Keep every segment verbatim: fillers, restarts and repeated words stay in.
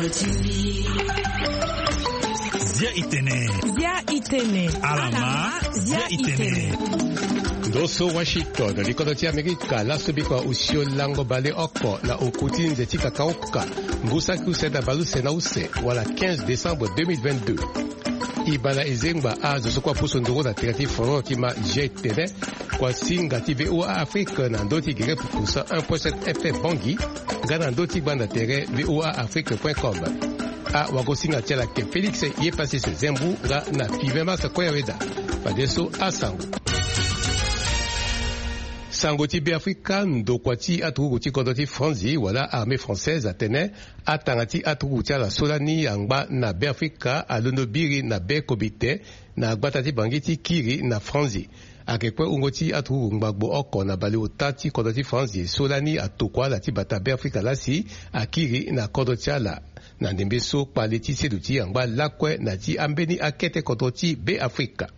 Zia itene. Zia itene. Alama. Zia itene. Ndo so Washington, likodo ti Amerika, laso biko na osio lango baleoko na oku ti nze ti kakaoka, ngu saki use na baleuse na use, wala quinze décembre deux mille vingt-deux. E baa na e zengba azo so kue apusu nduru na tere ti foro ti ma G T V, kua singa ti V O A Afrique na ndö ti gere pupu cent un point sept F M Bangui, nga na ndö ti gbanda tere V O A Afrique point com. Awagosinga ti ala ayeke Félix Yepassis Zembu, nga na Five Mars Koyaweda. Fadeso asango. Sango ti Beafrika, ndokua ti aturugu ti kodro ti Franzi wala Armée française atene atanga ti aturugu ti ala so lani angba na Beafrika alondo biri na be comité na gbata ti Bangui ti kiri na Franzi. Ayeke kue wungo ti aturugu ngbagbo oko na baleota ti kodro ti Franzi so lani atokua ala ti bata Beafrika laa si akiri na kodro ti ala. Na ndembe so kpale ti seduti angba lakue na ti ambeni akete kodro ti Beafrika.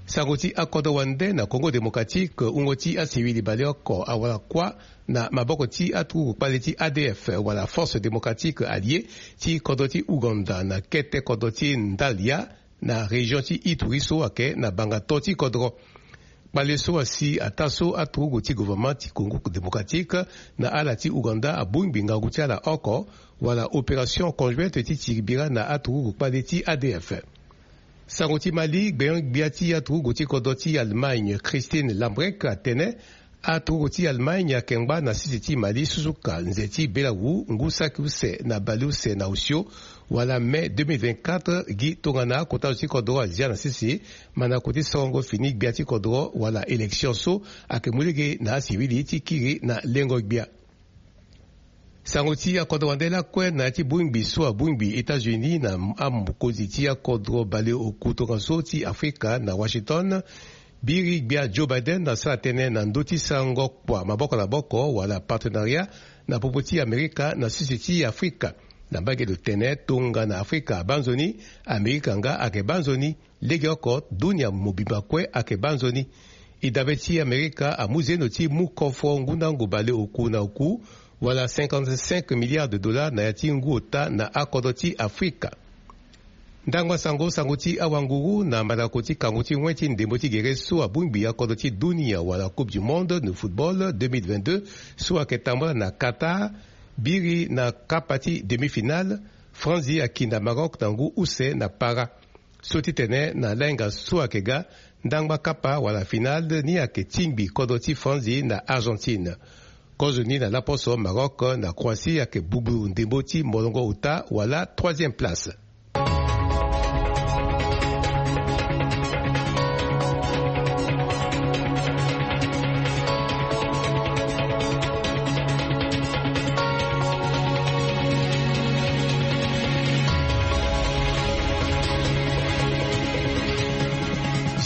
Sango ti akodro wande, na Congo Démocratique, wungo ti asiwili baleoko awara kuâ na maboko ti aturugu kpale ti A D F wala Force Démocratique Alliée ti kodro ti Ouganda na kete kodro ti Ndalia, na région ti Ituri so ayeke na bangato ti kodro. Kpale so asi ataa so aturugu ti gouvernement ti Congo Démocratique na ala ti Ouganda abongbi ngangu ti ala oko, wala opération conjointe ti tiri bira na aturugu kpale ti A D F. Sango ti Mali, gbenyo-gbia ti aturugu ti kodro ti Allemagne, Christine Lambrecht, atene aturugu ti Allemagne ayeke ngba na sese ti Mali susuka nze ti belawu ngu saki use na baleuse na osio, wala mai deux mille vingt-quatre, gi tongana akota zo ti kodro azia na sese mandako ti sorongo fini gbia ti kodro wala élection so ayeke mu lege na asiwili ti kiri na lengo gbia. Sango ti akodro wande lakue na ya ti bongbi so abongbi États-Unis na amokonzi ti akodro baleoku tongaso ti Afrika na Washington. Biri gbia Joe Biden asara tënë na ndö ti sarango kua maboko na maboko wala partenariat na popo ti Amerika na sese ti Afrika. Na mbage lo tene tongana Afrika abaa nzoni, Amerika nga ayeke baa nzoni. Legeoko dunia mobimba kue ayeke baa nzoni. E dabe ti Amerika amu zeno ti mu kofo ngu ndango baleoku na oku, wala cinquante-cinq milliards de dollars na ya ti ngu ota na akodro ti Afrika. Ndangba sango, sango ti awanguru na mandako ti kango ti wen ti ndembo ti gere so abongbi akodro ti dunia wala Coupe du Monde de football deux mille vingt-deux so ayeke tambula na Qatar, biri na kapa ti demi-finale, Franzi aki na Maroc na ngu use na para. So ti tene na lainga so ayeke ga, ndangba kapa wala finale ni ayeke tingbi kodro ti Franzi na Argentine. Kozoni na laposo, Maroc na Croatie ayeke bugburu ndembo ti molongo ota wala troisième place.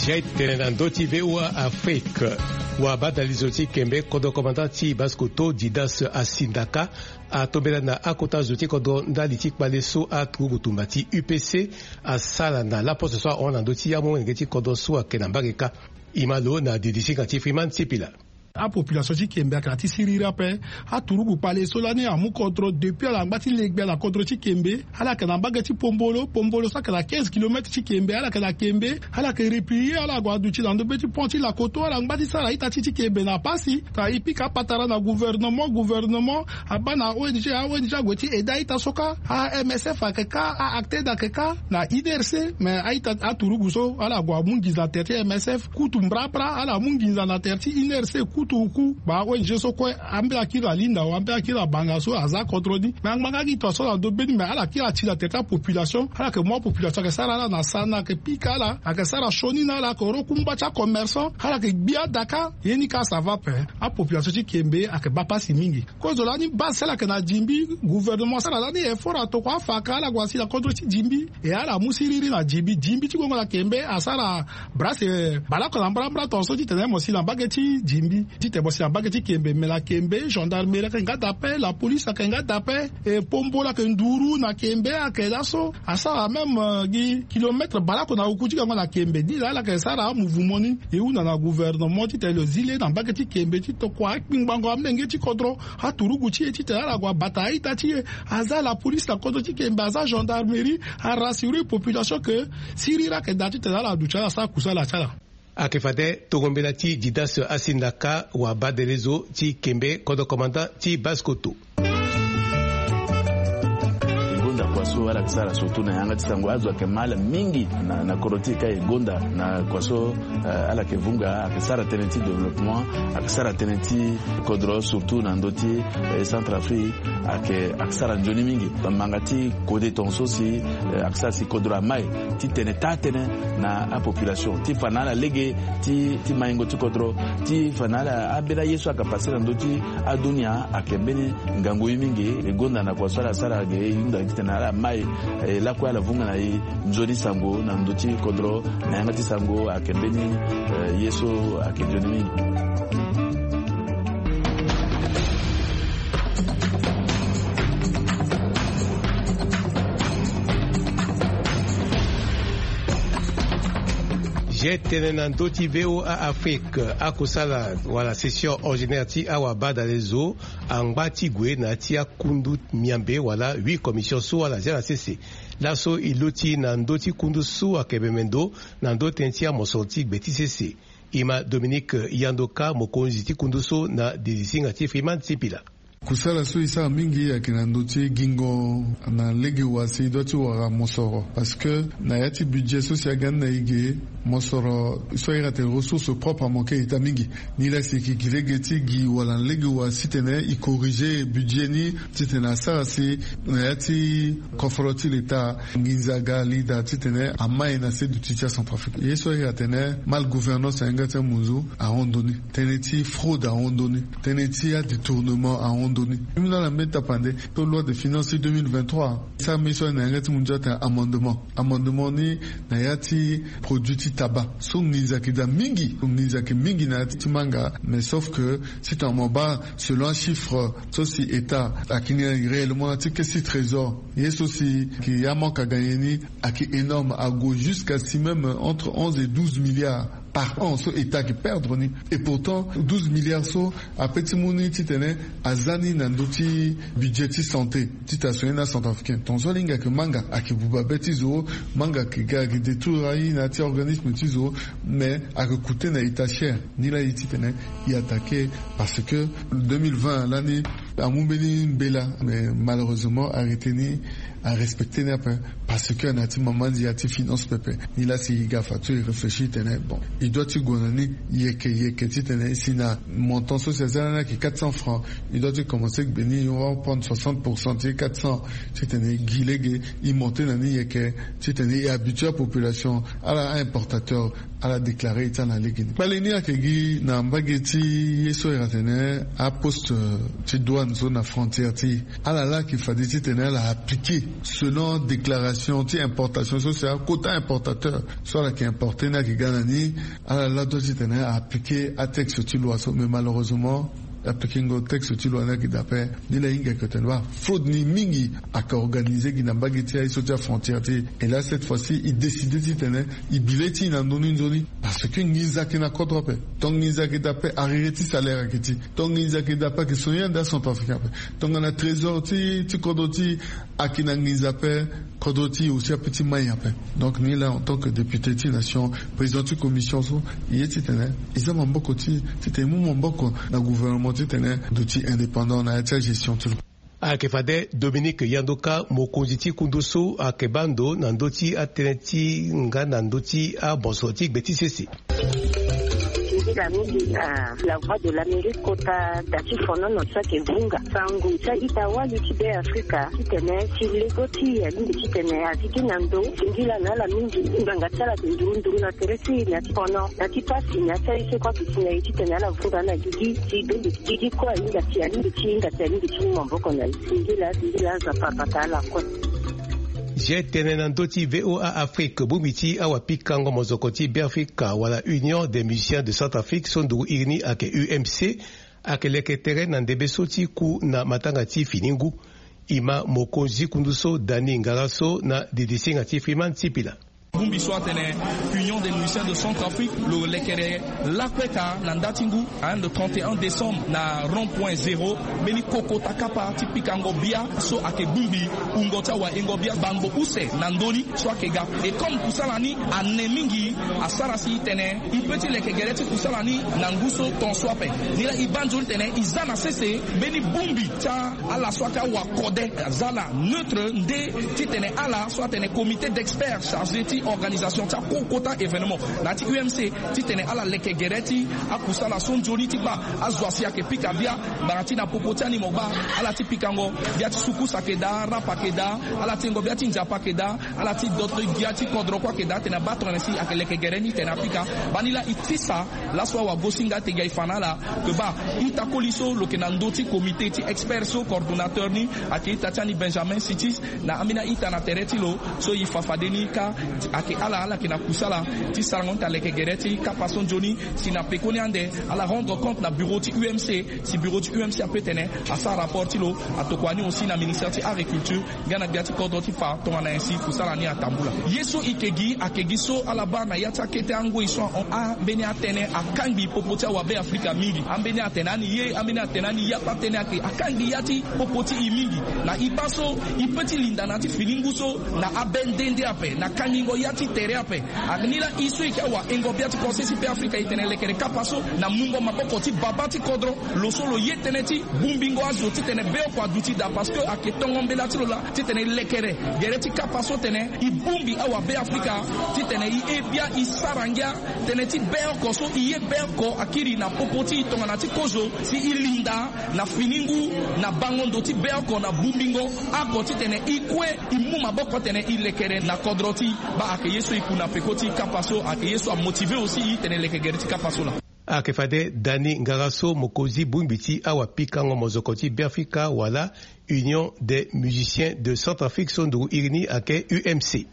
Jai tene na ndö ti V O A Afrique. Wabadalizo ti Kembe, kodro commandant ti Basse-Kotto, Didas Asindaka, atombela na akota zo ti kodro ndali ti kpale so aturugu tumba ti U P C asara na laposo so ahon na ndö ti amolenge ti kodro so ayeke na mbage kâ. E ma lo na didi ti nga ti Freeman Sipila. Apopulation ti Kembe ayeke na ti siriri ape. Aturugu kpale so lani amu kodro depuis ala ngba ti le gbia na kodro ti Kembe. Ala yeke na mbage ti Pombolo, Pombolo so ayeke na quinze kilomètres ti Kembe, ala yeke na Kembe. Ala yeke replier, ala gue aduti na ndö be ti pont ti Lakoto, ala ngba ti sara ita ti ti Kembe na pasi. Ka e pika apatara na gouvernement, gouvernement abaa na O N G, a O N G ague ti aide a-ita so kâ. A M S F ayeke kâ, a-ACTED ayeke kâ, na I N R C, mais a-ita aturugu so ala gue amu nginza na tere ti M S F, kutu mbrambra ala mu nginza na tere ti I N R C, kutu oku. Ba O N G so kue ambeni akiri na linda, ambeni akiri na banga so aza kodro ni. Mais angbanga gi to so na ndö be ni, mais ala kiri ati na tere ti apopulation. Ala yeke mu apopulation ayeke sara ala na sana, ayeke pika ala, ayeke sara sioni na ala, ayeke ro kungba ti acommerçant, ala yeke gbi adaka. Ye ni kâ ça va ape. Apopulation ti Kembe ayeke baa pasi mingi. Kozo lani base so ala yeke na Dimbi, gouvernement asara lani effort atokua afaka ala gue asi na kodro ti Dimbi. E ala mu siriri na Dimbi, Dimbi ti gongo na Kembe asara brase baleoko na mbrambra tongaso ti tene mo si na mbage ti Dimbi. Tite bosi na mbage ti Kembe, me na Kembe gendarmerie ayeke nga daa ape, la police ayeke nga daa ape. E pombo laa ayeke nduru na Kembe ayeke laso. Asara même gi kilomètre baleoko na uku ti gango na Kembe. Ni laa ala yeke sara amouvement ni. E hunda na gouvernement tite lo zi le na mbage ti Kembe ti tokua akpingbango amolenge ti kodro, aturugu ti e tite ala gue abata aita ti e. Aza la police na kodro ti Kembe, aza gendarmerie. Arassurer population ke siriri ayeke daa tite ala duti ala sara kusala ti ala. Ayeke fade tongo mbela ti Didas Asindaka, wabadelezo ti Kembe, kodro commandant ti Basse-Kotto. Gonda kua so ala yeke sara surtout na yanga ti sango, azo ayeke mal mingi na, na kodro ti e ka e gonda na kua so, eh, ala yeke vunga, ayeke sara tënë ti développement, ayeke sara tënë ti kodro surtout na ndö ti, eh, Centrafrique. Ayeke, ayeke sara nzoni mingi. Manga ti kode tongaso si, eh, ayeke sara si kodro amai ti tene taa tënë na apopulation ti fa na ala lege ti, ti maingo ti kodro, ti fa na ala ambeni aye so ayeke passe na ndö ti adunia. Ayeke mbeni ngangu ye mingi. E gonda na kua so ala sara ge, e hunda titene ala mai, eh, lakue ala vunga na e nzoni sango na ndö ti kodro. Na yanga ti sango ayeke mbeni, eh, ye so ayeke nzoni mingi. Ge tene na ndö ti V O A Afrique, akosala wala session ordinaire ti awabadalezo angba ti gue na ya ti akundu miambe wala huit commission so ala zia na sese. Laso e loti na ndö ti kundu so ayeke meme ndo na ndö tënë ti amosoro ti gbe ti sese. E ma Dominique Yandoka, mokonzi ti kundu so, na dirisinga ti Freeman Sipila. Kusala so e sara mingi ayeke na ndö ti gingo na lege wa si e doit ti wara mosoro, parce que na ya ti budget so si aga ni na e ge, mosoro so a iri atene ressource propre amanke ita mingi. Ni laa si e yeke gi lege ti gi wala na lege wa titene e corriger budget ni, titene asara si na ya ti koforo ti leta nginza aga li daa titene amai na se duti ti aCentrafrique. Ye so a iri atene mal gouvernance na yanga ti amunzu ahon ndo ni, tënë ti fraude ahon ndo ni, tënë ti adétournement ahon ndo ni. Mbi na ala mbeni tapande so loi de finance ti deux mille vingt-trois, sara mbeni so na yanga ti munzu atene amendement. Amendement ni na ya ti produit ti tabac so nginza ayeke daa mingi, nginza ayeke mingi na ya ti manga. Mais sauf que si tongana mo baa selon achiffre so si État ayeke ni réellement na ti caisse ti trésor, ye so si ayeke amanque aga nyen ni, ayeke énorme, ague jusqu'à si même entre onze et douze milliards par an so État ayeke perdre ni. Et pourtant douze milliards so ape ti mu ni titene aza ni na ndö ti budget ti santé, titene asoigner ni acentrafricain. Tongaso ala hinga ayeke manga ayeke buba be ti zo, manga ayeke ga ayeke détruire aye na ya ti organisme ti zo, mais ayeke coûter na État cher. Ni laa e titene e attaquer, parce que deux mille vingt lani amu mbeni mbela, mais malheureusement arrêté ni arespecter ni ape, parce que na ya ti mamanzi ya ti finance pepe. Ni laa si e ga fa so e réfléchir tene bon, e doit ti gue na ni yeke yeke titene si na montant so si aza lani ayeke quatre cents francs, e doit ti commencer gbe ni, on va prendre soixante pour cent ti quatre cents, titene e gi lege e monter na ni yeke, titene e habituer apopulation, ala importateur, ala déclarer e ti ala na lege ni. Kpale ni ayeke gi na mbage ti ye so e iri atene aposte ti douane so na frontière ti e. Ala laa ayeke fade titene ala appliquer selon déclaration ti importation so si aquota importateur so ala yeke importer ni ayeke ga na ni. Ala laa doit titene a appliquer atexte ti loi so, mais malheureusement appliquengo texte ti loi ni ayeke daa ape. Ni laa e hinga ayeke tene baa fraude ni mingi ayeke organiser gi na mbage ti aye so ti afrontière ti e. Et là cette fois-ci e décider titene e bi le ti e na ndö ni nzoni, parce que nginza ayeke na kodro ape. Donc nginza ayeke daa ape, arreter ti salaire ayeke ti, donc nginza ayeke daa ape, ayeke soigner ande acentrafricain ape. Tongana trésor ti, ti kodro ti e ayeke na nginza ape, kodro ti e aussi apeut ti mai ape. Donc ni laa en tant que député ti nation, président ti commission so, e ye titene e za maboko ti e, titene e mu maboko na gouvernement titene duti indépendant na ya ti agestion ti lo. Ayeke fade Dominique Yandoka, mokonzi ti kundu so, ayeke baa ndo na ndö ti atënë ti nga na ndö ti abonso ti gbe ti sese. Nzila mingi na La Voix de l'Amérique kota da ti fonono so ayeke vunga sango ti a-ita wali ti Be Afrika titene si lego ti e alingbi titene azi gi na ndo. Singila na ala mingi, ngbanga ti ala ayeke nduru nduru na tere ti e na ya ti fono, na ya ti pasi, na ya ti aye so kue ayeke si na e titene ala vunga na gigi ti bembe ti gigi kue ahinga si alingbi ti hinga si alingbi ti mu maboko na e. Singila, singila, Nzapa abata ala kue. Zia tene na ndö ti VOA Afrique, bongbi ti awapikango mozoko ti Beafrika wala Union des Musiciens de Centrafrique so nduru iri ni ayeke U M C, ayeke leke tere na ndembe so ti ku na matanga ti fini ngu. E ma mokonzi kundu so Dani Ngara so na didisinga ti Freeman Sipila. Bongbi so atene Union des Musiciens de Centrafrique lo lekere lakue ka na nda ti ngu, hein, le trente et un décembre na rond point zéro, mbeni kokota kapa ti pikango bia so ayeke bongbi wungo ti awaengo bia bango use na ndö ni so ayeke ga. Et comme kusala ni ane mingi, asara si e tene e peut ti leke gere ti kusala ni na ngu so ton so ape. Ni laa e baa nzoni tene e za na sese mbeni bongbi ti ala so ayeke awakode aza la neutre nde titene ala so atene comité d'experts chargé ti organisation ti akokota événement na ya ti U M C, titene ala leke gere ti akusala so nzoni ti baa azo asi ayeke pika bia. Ngbanga ti na popo ti ani mo baa ala ti pikango bia ti sukusu ayeke daa, rap ayeke daa, ala ti yengo bia ti nzapa ayeke daa, ala ti doto gbia ti kodro kue ayeke daa, atene abaa tongana si ayeke leke gere ni tene apika. Baa ni laa e tisa laso awagosinga ate gi e fa na ala ke baa ita koli so lo yeke na ndö ti comité ti expert so coordonnateur ni ayeke ita ti ani Benjamin Sitis. Na ambeni a-ita na tere ti lo so e fa fade ni kâ, ayeke ala ala yeke na kusala ti sarango ni ta leke gere ti kapa so nzoni. Si na pekoni ande ala rendre compte na bureau ti U M C, si bureau ti U M C ape tene asara rapport ti lo, atokua ni aussi na ministère ti agriculture nga na gbia ti kodro ti fa tongana nyen si kusala ni atambula. Ye so e yeke gi ayeke gi so ala baa na ya ti akete angoi so ahon ambeni atënë akangbi popo ti awabe Afrika mingi. Ambeni atene ani ye, ambeni atene ani ya ti atënë ayeke akangbi ya ti popo ti e mingi. Na e baa so e peut ti linda na ya ti fini ngu so na abe nde nde ape na kangingo ya ti tere ape. Ayeke ni laa e so e yeke awaengo bia ti Conseil ti Beafrika e tene lekere kapa so na mungo maboko ti babâ ti kodro. Lo so lo ye tënë ti bongbingo azo titene beoko aduti daa parce que ayeke tongo mbela ti lo laa titene e lekere gere ti kapa so tene e bongbi awabe Afrika titene e he bia e sara ngia tënë ti beoko so e ye beoko akiri na popo ti e tongana ti kozo si e linda na fini ngu na bango ndo ti beoko na bongbingo oko titene e kue e mu maboko tene e lekere na kodro ti e. Baa ayeke ye so e ku na peko ti e kapa so ayeke ye so amotive aussi e titene e leke gere ti kapa so laa. Ayeke fade Dani Ngara so mokonzi bongbi ti awapikango mozoko ti Beafrika wala Union des Musiciens de Centrafrique so nduru iri ni ayeke U M C.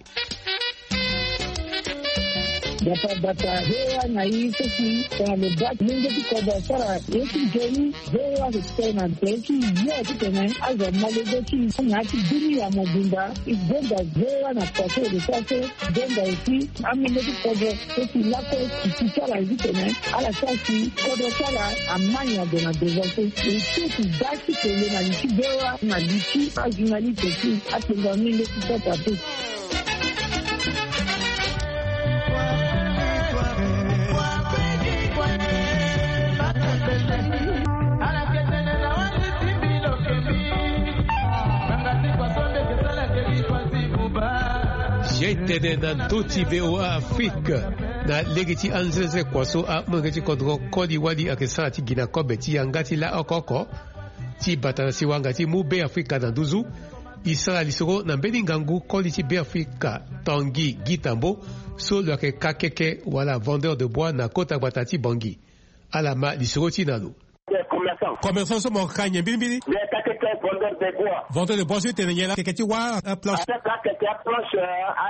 Bata bata V O A na i so si tongana lo baa ti mungo ti kodro asara ye ti nzoni. V O A ayeke tene na tere ti yo titene azo amolenge ti i na ya ti bini ya mobimba. E gonda V O A na kua so e lo sara so. Gonda aussi amolenge ti kodro so si lakue si ti sara titene ala sara si kodro ti ala ama nyen ade na devant so. E so si baa ti kele na li ti V O A na li ti ajournaliste ti akpengba amolenge ti sata te. Zia e tene na ndö ti V O A Afrique na lege ti anzenzekua so amolenge ti kodro koli wali ayeke sara ti gi na kobe ti yanga ti laoko oko ti bata na siwanga ti mu Beafrika na nduzu. E sara lisoro na mbeni ngangu koli ti Beafrika Tanguy Guy Tambo so lo yeke kakeke wala vendeur de bois na kota gbata ti Bangui. Ala ma lisoro ti e na lo. Commerçant. Commerçant so mo ka nyen mbirimbiri? Mais kakeke vendeur de bois. Vendeur de bois so e tene nyen laa? Keke ti wâ aplanche. Akeke aplanche,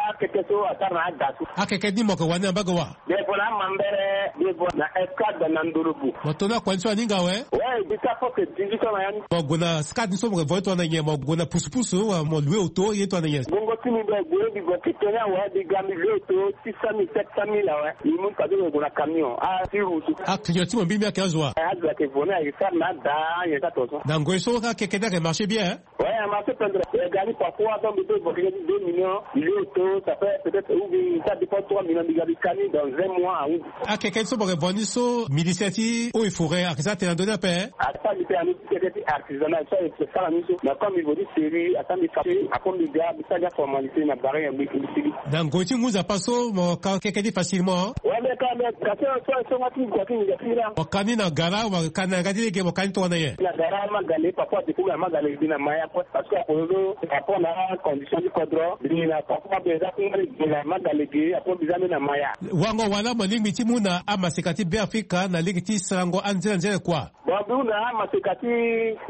akeke so asara na ada so. Akeke ni mo yeke wani na mbage wa? Mais vo na amambere, mais vo na escade na ndolobu. Mo to na kua ni so aninga awe? Ouais, jusqu'à presque dix-huit ans na ya ni. Mo gue na scade ni so mo yeke vo ye tongana nyen? Mo gue na pusupusu wala mo loue auto ye tongana nyen? Bongo ti mbi, mbi gue mbi gue ti tene awe, mbi ga mbi loue auto six cent mille, sept cent mille awe. Mbi mu fade mbi gue na camion. Ah, ti roue so. Aclient ti mo mbirimbiri ayeke azo wa? Eh, azo ayeke vo ni ayeke sara na ada, nyen ka tonso. Na ngoi so akeke ni ayeke marché bien, hein? Ouais, a marché pendere. E ga ni parfois, donc, mbi peut évoquer deux millions, mbi loue auto, ça fait peut-être, ou bien, ça dépend, trois millions, mbi ga mbi ka ni dans un mois, oui. Akeke so mo yeke vo ni so, ministère ti eaux et forêts ayeke sara tënë na ndö ni ape, hein? Asara mbi tënë na ndö ti keke ti artisanat, so ayeke sara ni so. Mais comme mbi vo ni serrure, asara mbi facture, après mbi ga, mbi sara ni aformalité na barrière, mbi, mbi sigi. Na ngoi ti ngu nzapa so, mo ka keke ni facilement, hein? Ouais, mais quand même, kasi so, so, nga ti, nga ti, nga ti, nga. Mo ka ni na gara, mo ka ni na yanga ti lege, mo ka ni tongana nyen? Na gara, ma ga lege, parfois, depuis na ma ga lege, mbi na maya, quoi. Parce que akozo, par rapport na condition ti kodro, mbi na papa mbi za ti ngba ni mbi na ma ga lege, apo mbi za mbi na maya. Wango wala mo lingbi ti mu na amaseka ti Beafrika na lege ti sarango anzere anzere kua? Wambi hunda amaseka ti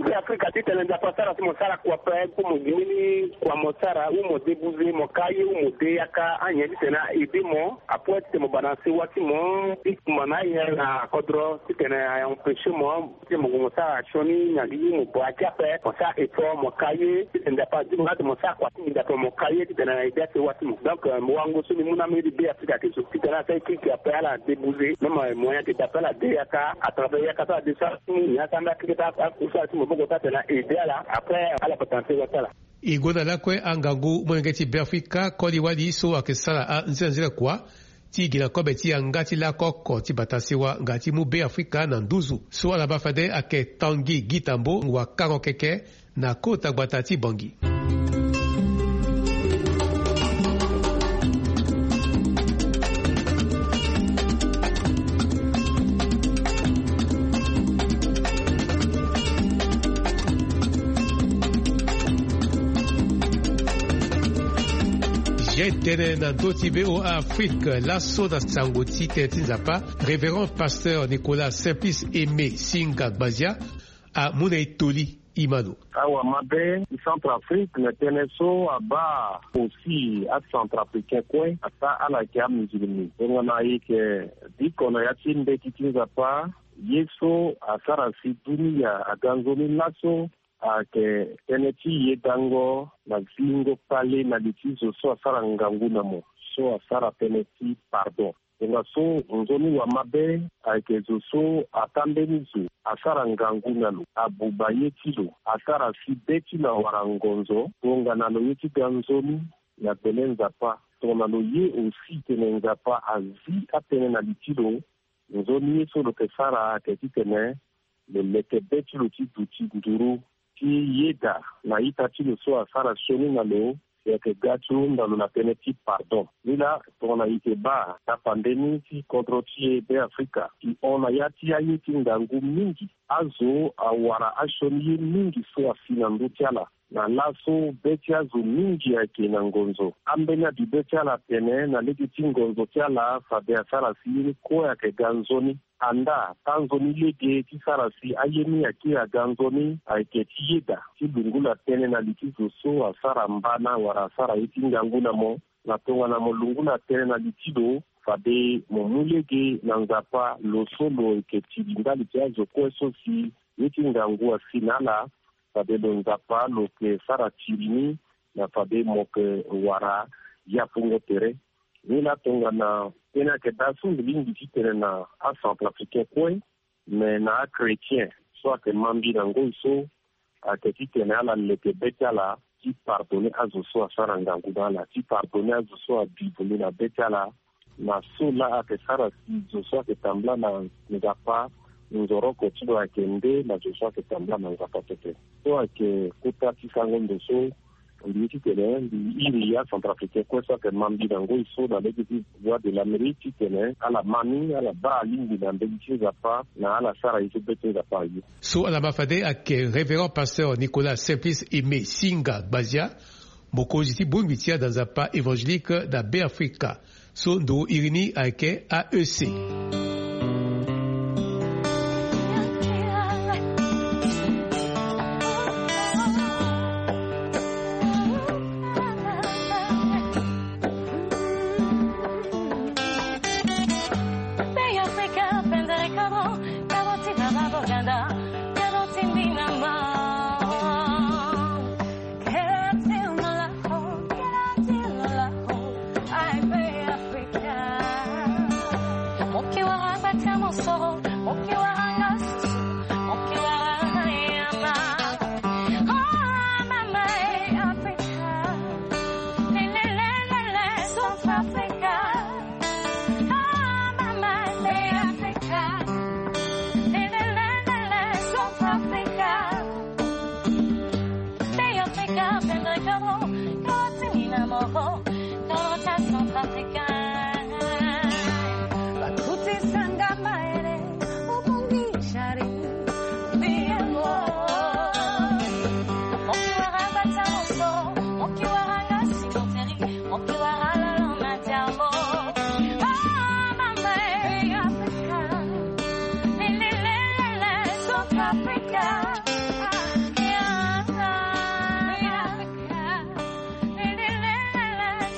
Be Afrika titene Nzapa asara si mo sara kua ape, kue mo gi mbeni kua mo sara, ou mo de buze, mo ka aye, ou mo de yaka, anyen titene a aide mo. Apres titene mo bana sewa ti mo ti kuma na aye na kodro titene a empêcher mo. Titene mo gue mo sara sioni na gigi, mo bua ti ape, mo sara effort, mo ka aye titene Nzapa azi mo, titene mo sara kua ti nginza ape, mo ka aye titene a aide asewa ti mo. Donc, euh, mo wango so mbi mu na mbeni Be Afrika ti so titene asara kirikiri ape, ala de buze, même, euh, moyen ayeke daa ape, ala de yaka, à travers yaka so ala de so ala ti mu ni, asara mbeni akeke ti akusala ti maboko so atene a aide ala. Après, ala bata na sewa ti ala. E gue na lakue angangu molenge ti Be Afrika koli wali so ayeke sara anzinganzinga kua ti gi na kobe ti yanga ti lako oko ti bata sewa nga ti mu Be Afrika na nduzu. So ala baa fade ayeke Tanguy Guy Tambo, wakango keke na kota gbata ti Bangui. Ye tene na ndö ti V O A Afrique, laso na sango ti tënë ti Nzapa, Révérend Pasteur Nicolas Simplice Aimé Singa Gbazia amu na e toli. Imano. Awa mabe ti Centrafrique na tënë so abaa aussi aCentrafricain kue, ata ala yeke amusulmi. Tongana e yeke biko na ya ti mbeti ti Nzapa, ye so asara si dunia aga nzoni laso ayeke tënë ti yedango na zingo kpale na li ti zo so asara ngangu na mo, so asara tënë ti pardon. Tongaso nzoni wa mabe ayeke zo so ata mbeni zo, asara ngangu na lo, abuba ye ti lo, asara si be ti lo awara ngonzo. Tongana lo ye ti ga nzoni na gbele Nzapa, tongana lo ye aussi tene Nzapa azi atënë na li ti lo, nzoni ye so lo yeke sara ayeke titene lo leke be ti lo ti duti nduru ti yeda na ita ti lo so asara sioni na lo, si ayeke ga ti hunda lo na tënë ti pardon. Ni laa, tongana e yeke baa tapande ni ti kodro ti e Be Afrika, e hon na ya ti aye ti ngangu mingi. Azo awara asioni ye mingi so asi na ndö ti ala. Na laso be ti azo mingi ayeke na ngonzo. Ambeni abi be ti ala atene na lege ti ngonzo ti ala fade asara si ye ni kue ayeke ga nzoni. Andaa, taa nzoni lege ti sara si aye ni akiri aga nzoni ayeke ti yeda, ti lungula tënë na li ti zo so asara mbana wala asara ye ti ngangu na mo. Na tongana mo lungula tënë na li ti lo, fade mo mu lege na Nzapa, lo so lo yeke tiri ndali ti azo kue so si ye ti ngangu asi na ala. Fade lo Nzapa lo yeke sara tiri ni, na fade mo yeke wara yapungo tere. Ni laa tongana tënë ayeke daa so mbi lingbi titene na aCentrafricain kue, me na achrétien so ayeke ma mbi na ngoi so, ayeke titene ala leke be ti ala ti pardonner azo so asara ngangu na ala, ti pardonner azo so abi vundu na be ti ala, na so laa ayeke sara si zo so ayeke tambula na Nzapa, nzoroko ti lo ayeke nde na zo so ayeke tambula na Nzapa pepe. So ayeke kota ti sango ndo so mbi ye titene mbi iri aCentrafricain kue so ayeke ma mbi na ngoi so na lege ti Voix de l'Amérique titene ala ma ni, ala baa alingbi na mbeni ti Nzapa, na ala sara ye so be ti Nzapa aye. So ala ma fade ayeke Révérend Pasteur Nicolas Simplice Aimé Singa Gbazia, mokonzi ti bongbi ti ada Nzapa évangélique na Be Afrika. So ndo iri ni ayeke A E C.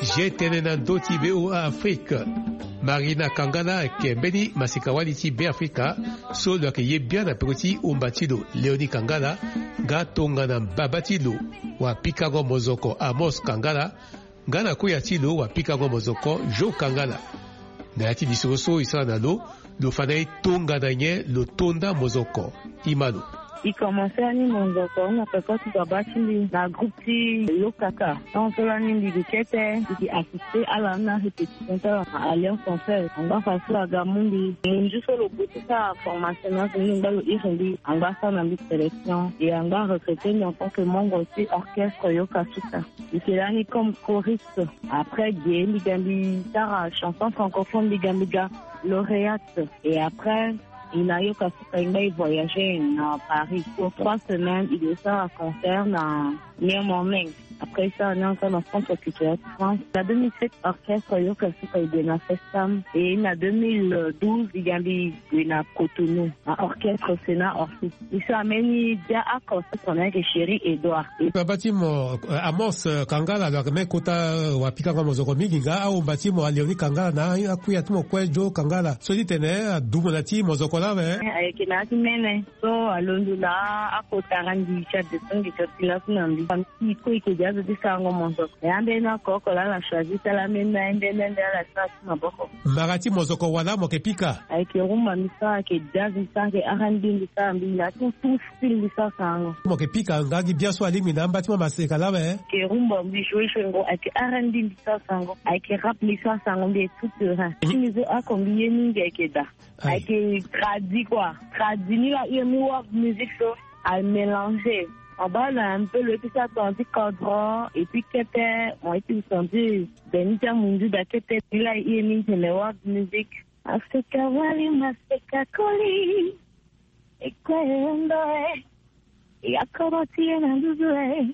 G tene na ndö ti Be Afrika. Marina Kangala ayeke mbeni maseka-wali ti Be Afrika so lo yeke ye bian na peko ti umba ti lo Léonie Kangala, nga tongana mbaba ti lo wapikango mozoko Amos Kangala, nga na koya ti lo wapikango mozoko Jo Kangala. Na ya ti lisoro so e sara na lo, lo fa na e tongana nyen lo to nda mozoko. Imano. E komanse ani mozoko na peko ti baba ti mbi na groupe ti Lokaka. Tant so lani mbi gi kete, mbi gi assisté ala na répétition ti ala na Alliance Française. Angba fa so aga mu mbi, munzu so lo gue ti sara formation na so mbi ngba lo iri mbi, angba sara na mbi sélection. Et angba recruté mbi en tant que membre ti orchestre Yoka Suka. Mbi ke lani comme choriste. Après ge mbi ga mbi sara chanson francophone, mbi ga mbi ga lauréate. Et après, e na Yoka Suka e ngba e voyager na Paris pour trois semaines. E ke sara concert na New Morning. Après, e sara ni encore na centre culturel de France. Na deux mille sept, orchestre Yoka Suka e gue na Festam. Et na deux mille douze, e ga mbi gue na Cotonou, na orchestre Sénat Orsi. E sara mbeni bia oko so tongana ayeke Chéri Edouard. Baba ti mo, eh, Amos, eh, Kangala, lo yeke mbeni kota, eh, wapikango mozoko mingi nga aomba ti mo Léonie Kangala na akuya ti mo kue Jo Kangala. So ti tene adu mo na ti mozoko lawe. Eh, ayeke na ya ti mene. So alondo na akota randi ti adescend ti asi laso na mbi. Famille ti e kue e ke gi azo ti sarango mozoko. E ambeni oko oko laa ala choisi ti ala ambeni na ambeni nde ala sara ti maboko. Mbara ti mozoko wala mo yeke pika? Ayeke rumba mbi sara, ayeke jazz mbi sara, ayeke R and B mbi sara, mbi na ti tout style mbi sara sarango. Mo yeke pika nga gi biaso alingbi na amba ti mo maseka lawe? Ayeke rumba mbi joue joue ngo, ayeke R and B mbi sara sarango, ayeke rap mbi sara sarango, mbi est tout terrain. Ti mbi so oko mbi ye mingi ayeke da. Aye. Ayeke tradi quoi. Tradi ni la, e mu world music so a mélanger. Mo baa na un peu lo ye ti sara tonga ti kodro et puis kete mo ye ti sentir beni ti amunzu da kete. Ni la e ye mingi tene world music. Maseka wali, maseka koli. E kue e ndo e. E akoro ti e na nduzu e.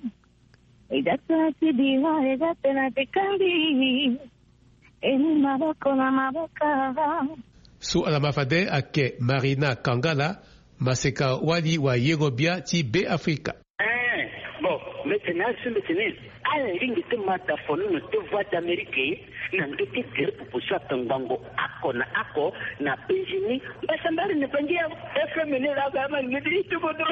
E ga tena ti bira, e ga tena ti kangi. E mu maboko na maboko. So ala ma fade ayeke Marina Kangala, maseka wali wayengo bia ti Be Afrika. Eh, bon, mbi tene azo mbi tene ala lingbi ti ma tafono na te Voix d'Amérique na ndö ti gere pupu so atongbango oko na oko na Benjini. Mbasambari na bangi ya F M ni la ba ma ngedi ti bodo.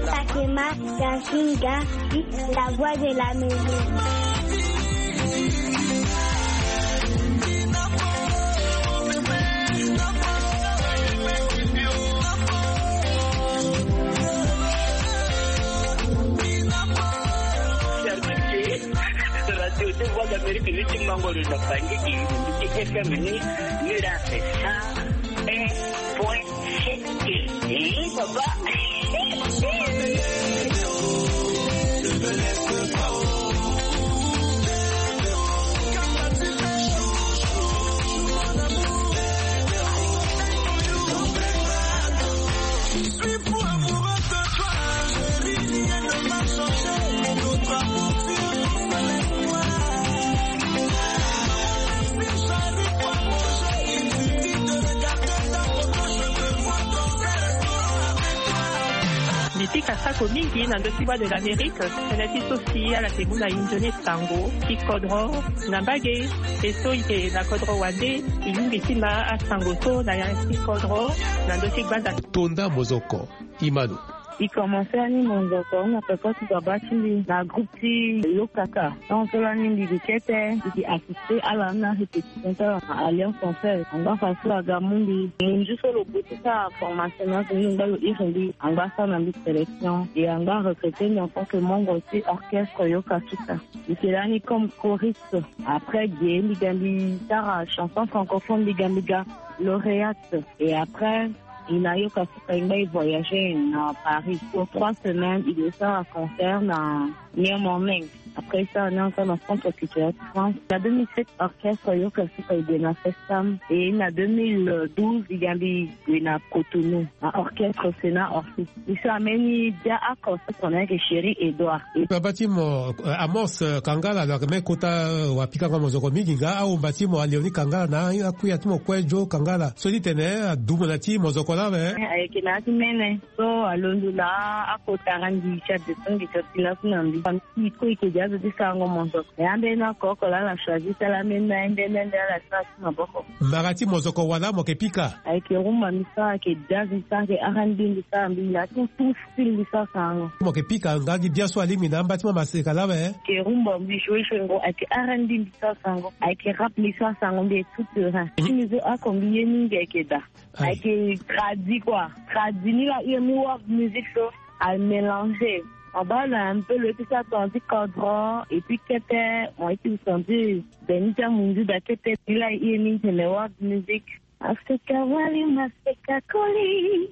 Sakema Yasinga, la voix de la maison. Radio de Voix d'Amérique ni ti mango lo na Bangui, ki F M ni, ni la fait ça. Eh, point. Eh, papa. Mbi pika sako mingi na ndö ti Voix de l'Amérique, tënë ti so si ala yeke mu na e nzoni sango ti kodro na mbage. E so e yeke na kodro wande, e lingbi ti ma asango so na ya ti kodro na ndö ti gbanda. To nda mozoko. Imano. E komanse ani mozoko na peko ti baba ti mbi na groupe ti Lokaka. Tant so lani mbi gi kete, mbi gi assisté ala na répétition ti ala na Alliance Française. Angba fa so aga mu mbi, munzu so lo gue ti sara formation na so mbi ngba lo iri mbi, angba sara na mbi sélection. Et angba recruté mbi en tant que membre ti orchestre Yoka Suka. Mbi ke lani comme choriste. Après ge mbi ga mbi sara chanson francophone, mbi ga mbi ga lauréate. Et après, e na Yoka Suka e ngba e voyager na Paris pour trois semaines, e ke sara concert na New Morning. Après, Orchestre e sara ni ensemble na Centre Culturel France. Na deux mille sept, orchestre Yoka Suka e gue na Festam. Et na deux mille douze, e ga mbi gue na Cotonou, na orchestre Sénat Orchestre. E so ameni dia oko so tongana ayeke Chéri Edouard. Aba ti mo, eh, Amos, eh, Kangala, lo yeke me kota, eh, wapikango mozoko mingi nga, ahon mba ti mo Léonie Kangala na akuya ti mo kue Joe Kangala. So ti tene adumo na ti mozoko laa awe. Eh, ayeke na ya ti mene. So alondo na akota randi ti adeso ngi ti asi laso na mbi. Famille ti e kue e yeke de azo ti sarango mozoko. E ambeni oko oko laa ala choisi ti ala ambeni na ye nde nde nde ala sara ti maboko. Mara ti mozoko wala mo yeke pika? Ayeke rumba mbi sara, ayeke jazz mbi sara, ayeke R and B mbi sara, mbi laa tout, tout style mbi sara sarango. Mo yeke pika nga gi bia so alingbi na amba ti mo maseka laa awe? Ayeke rumba mbi joue joue ngo, ayeke R and B mbi sara sarango, ayeke rap mbi sara sarango, mbi est tout terrain. Mhm. Ti mbi so oko mbi ye mingi ayeke daa. Aye. Ayeke tradi quoi. Tradi ni la, e mu world music so a mélanger. Mo baa na un peu lo ye ti sara tongana ti kodro, et puis kete mo ye ti sentir beni ti amunzu daa kete. Ni la e ye mingi tene world music. Maseka wali, maseka koli.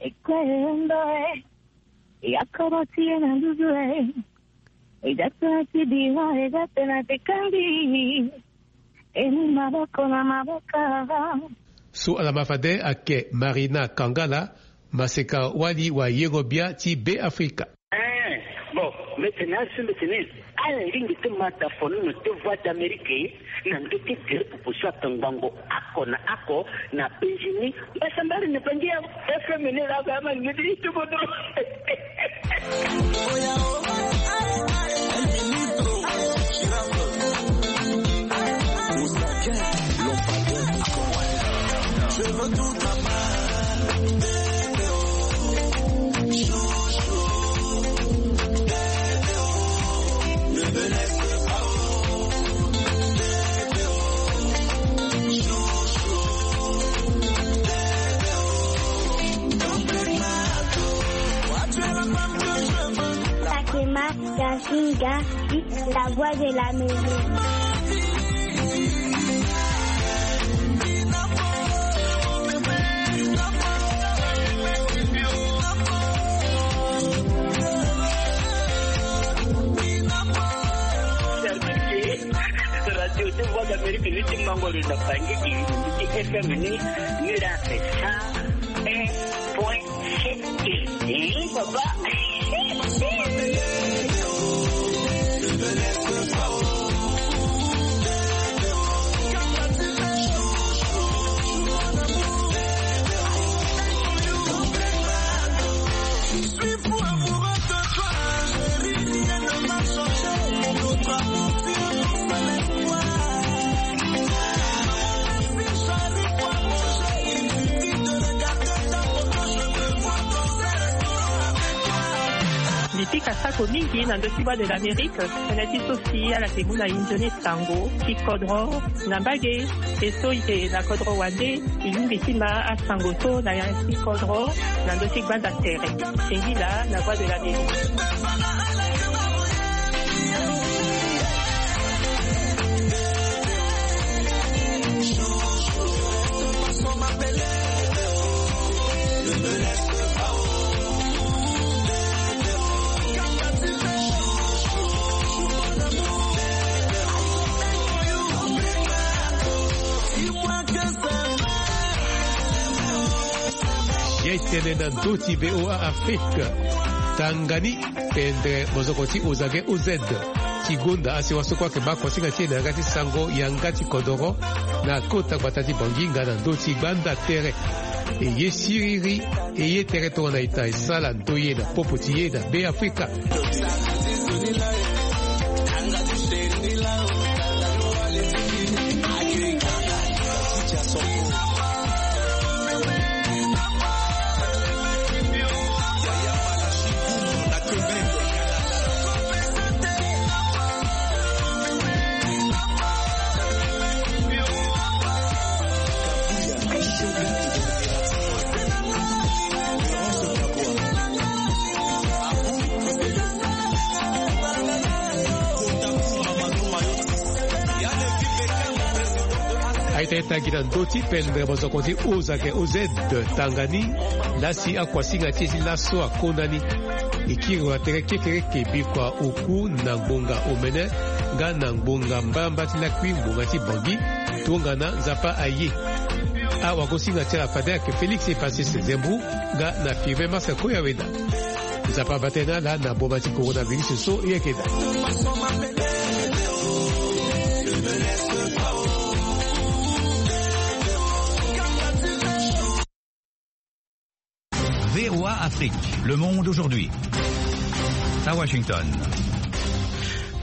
E kue e ndo e. E akoro ti e na nduzu e. E da tena ti bira, e da tena ti kandi. E mu maboko na maboko. So ala ma fade ayeke Marina Kangala, maseka wali wayengo bia ti Beafrika. Eh, bon, mbi tene azo, mbi tene ala lingbi ti ma ta fonono ti Voix d'Amérique na ndö ti gere pupu so atongbango oko na oko na penzi ni. Mbasambari ni pangi ya F M ni la ga ma ni di tu bodo. Takema Gazinga, la voix de l'Amérique. Radio ti Voix d'Amérique ni ti mango lo na Bangui, ti F M ni, ni la cent un point sept. Eh, papa. Mbi pika sako mingi na ndö ti Voix de l'Amérique, tënë ti so si ala yeke mu na e nzoni sango ti kodro na mbage. E so e yeke na kodro wande, e lingbi ti ma asango so na ya ti kodro na ndö ti gbanda tere. Singila na Voix de l'Amérique. Ye tene na ndö ti V O A Afrique. Tanga ni pendere mozoko ti Ozage O Z. Ti gonda asewa so kue ayeke baa kosinga ti e na yanga ti sango yanga ti kodoro na kota gbata ti Bangui nga na ndö ti gbanda tere. E ye siriri, e ye tere tongana ita e sala ndoye na popo ti e na Beafrika. Aita e tangi na ndö ti pendere mozoko ti Ozage O Z, tanga ni laa si akuasinga ti e ti laso akonda ni. E kiri watere kekereke bikua oku na ngbonga omene nga na ngbonga mbarambara ti lakui ngbonga ti Bangui. Tongana Nzapa aye, awagosinga ti ala fade ayeke Félix Epassé Sezembou nga na Firmin Marcel Koyaweda. Nzapa abata ye na ala na boma ti coronavirus so e yeke daa. V O A Afrique, le monde aujourd'hui. À Washington.